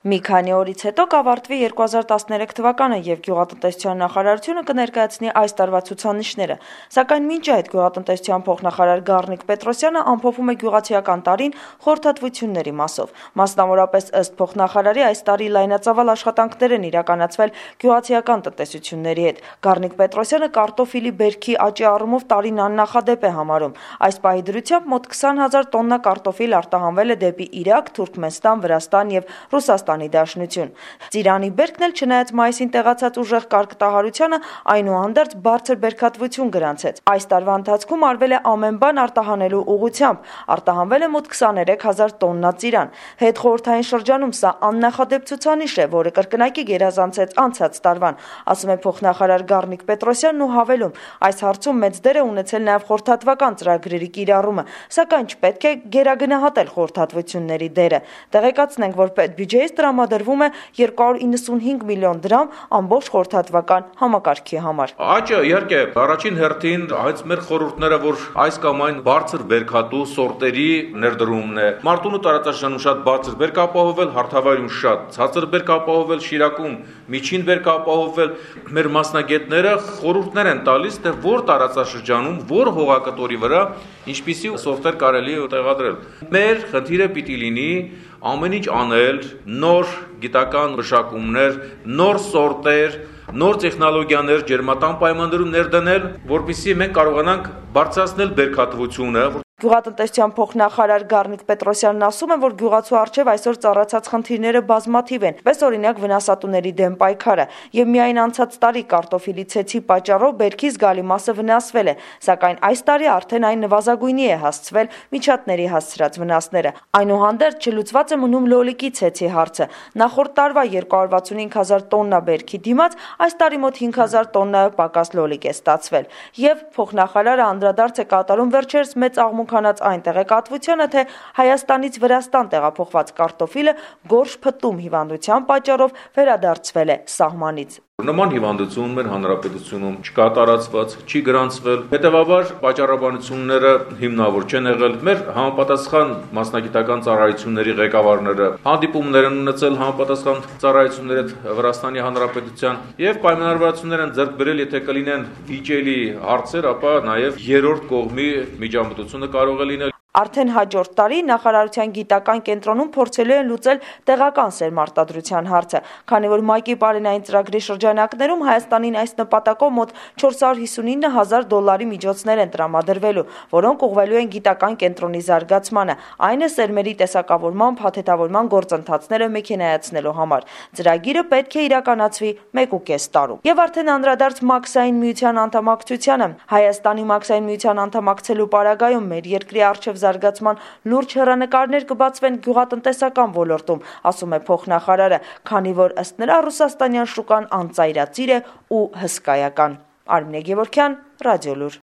Մի քանի օրից հետո կավարտվի 2013 թվականը և Գյուղատնտեսության նախարարությունը կներկայացնի այս տարվա ցուցանիշները, սակայն մինչ այդ գյուղատնտեսության փոխնախարար Գառնիկ Պետրոսյանը ամփոփում է գյուղացիական տարին խորհրդատվությունների մասով։ Մասնավորապես ըստ փոխնախարարի այս տարի լայնածավալ աշխատանքներ են իրականացվել գյուղացիական տնտեսությունների հետ։ Գառնիկ Պետրոսյանը կարտոֆիլի բերքի աճի առումով տարին աննախադեպ է համարում։ Այս պահի դրությամբ մոտ 20,000 տոննա կարտոֆիլ արտահանվել է դեպի Իրաք, Թուրքմենստան, Վրաստան և Ռուսաստանի Դաշնություն։ Ծիրանի բերքն էլ չնայած մայիսին տեղացած ուժեղ կարկտահարությանը այնուհանդերձ բարձր բերքատվություն գրանցեց։ Այս տարվա ընթացքում արվել է ամեն բան արտահանելու ուղղությամբ, արտահանվել է մոտ 23,000 տոննա ծիրան։ Հետխորհրդային շրջանում սա աննախադեպ ցուցանիշ է, որը կրկնակի գերազանցեց անցած տարվան, ասում է փոխնախարար Գառնիկ Պետրոսյանն ու հավելում. այս հարցում մեծ դեր է ունեցել նաև խորհրդատվական ծրագրերի կիրառումը, սակայն չպետք է գերագնահատել խորհրդատվությունների դերը։ Տեղեկացնենք, որ պետբյուջեից տրամադրվում է 295 միլիոն դրամ ամբողջ խորհրդատվական համակարգի համար։ Աճը իհարկե առաջին հերթին այս մեր խորհուրդները, որ այս կամ այն բարձր բերքատու սորտերի ներդրումն է։ Մարտունու տարածաշրջանում շատ բարձր բերք ապահովել, Հարթավայրում շատ ցածր բերք ապահովել, Շիրակում միջին բերք ապահովել։ Մեր մասնագետները խորհուրդներ են տալիս, թե որ տարածաշրջանում, որ հողակտորի վրա ինչպիսի սորտեր կարելի է տեղադրել։ Մեր խնդիրը պիտի լինի ամեն ինչ անել, նոր գիտական մշակումներ, նոր սորտեր, նոր տեխնոլոգիաներ ջերմատան պայմաններում ներդնել, որպեսզի մենք կարողանանք բարձրացնել բերքատվությունը։ Գյուղատնտեսության փոխնախարար Գառնիկ Պետրոսյանն ասում է, որ գյուղացու առջև այսօր ծառացած խնդիրները բազմաթիվ են, պես օրինակ վնասատուների դեմ պայքարը, եւ միայն անցած տարի կարտոֆիլի ցեցի պատճառով բերքի զգալի մասը վնասվել է, սակայն այս տարի արդեն այն նվազագույնի է հասցվել միջատների հասցրած վնասները։ Այնուհանդերձ չլուծված է մնում լոլիկի ցեցի հարցը։ Նախորդ տարվա 265,000 տոննա բերքի դիմաց այս տարի մոտ 5,000 տոննայով պակաս լոլիկ է ստացվել։ Եվ փոխնախարարը անդրադարձ է կատարում վերջերս մեծ աղմուկանաց այն տեղեկատվությանը, թե Հայաստանից Վրաստան տեղափոխված կարտոֆիլը գորշ փտտում հիվանդության պատճառով վերադարձվել է սահմանից։ Նման հիվանդություն մեր հանրապետությունում չկա տարածված, չի գրանցվել, հետևաբար պատճառաբանությունները հիմնավոր չեն եղել։ Մեր համապատասխան մասնագիտական ծառայությունների ղեկավարները հանդիպումներ են ունեցել համապատասխան ծառայությունների հետ Վրաստանի Հանրապետության եւ պայմանավորվածություններ են ձեռք բերել, եթե կլինեն վիճելի հարցեր, ապա նաեւ երրորդ կողմի միջամտությունը կարող է լինել։ Արդեն հաջորդ տարի նախարարության գիտական կենտրոնում փորձելու են լուծել տեղական սերմարտադրության հարցը, քանի որ ՄԱԿ-ի պարենային ծրագրի շրջանակներում Հայաստանին այս նպատակով մոտ 459,000 դոլարի միջոցներ են տրամադրվելու, որոնք ուղղվելու են գիտական կենտրոնի զարգացմանը, այն է սերմերի տեսակավորման, փաթեթավորման գործընթացները մեքենայացնելու համար։ Ծրագիրը պետք է իրականացվի 1.5 տարում։ Եվ արդեն անդրադարձ Մաքսային միության անդամակցությանը, Հայաստանի Մաքսային միության անդամակցելու պարագայում մեր երկրի առջև զարգացման լուրջ հեռանկարներ կբացվեն գյուղատնտեսական ոլորտում, ասում է փոխնախարարը, քանի որ ըստ նրա ռուսաստանյան շուկան անծայրածիր է ու հսկայական։ Արմինե Գևորգյան, Ռադիոլուր։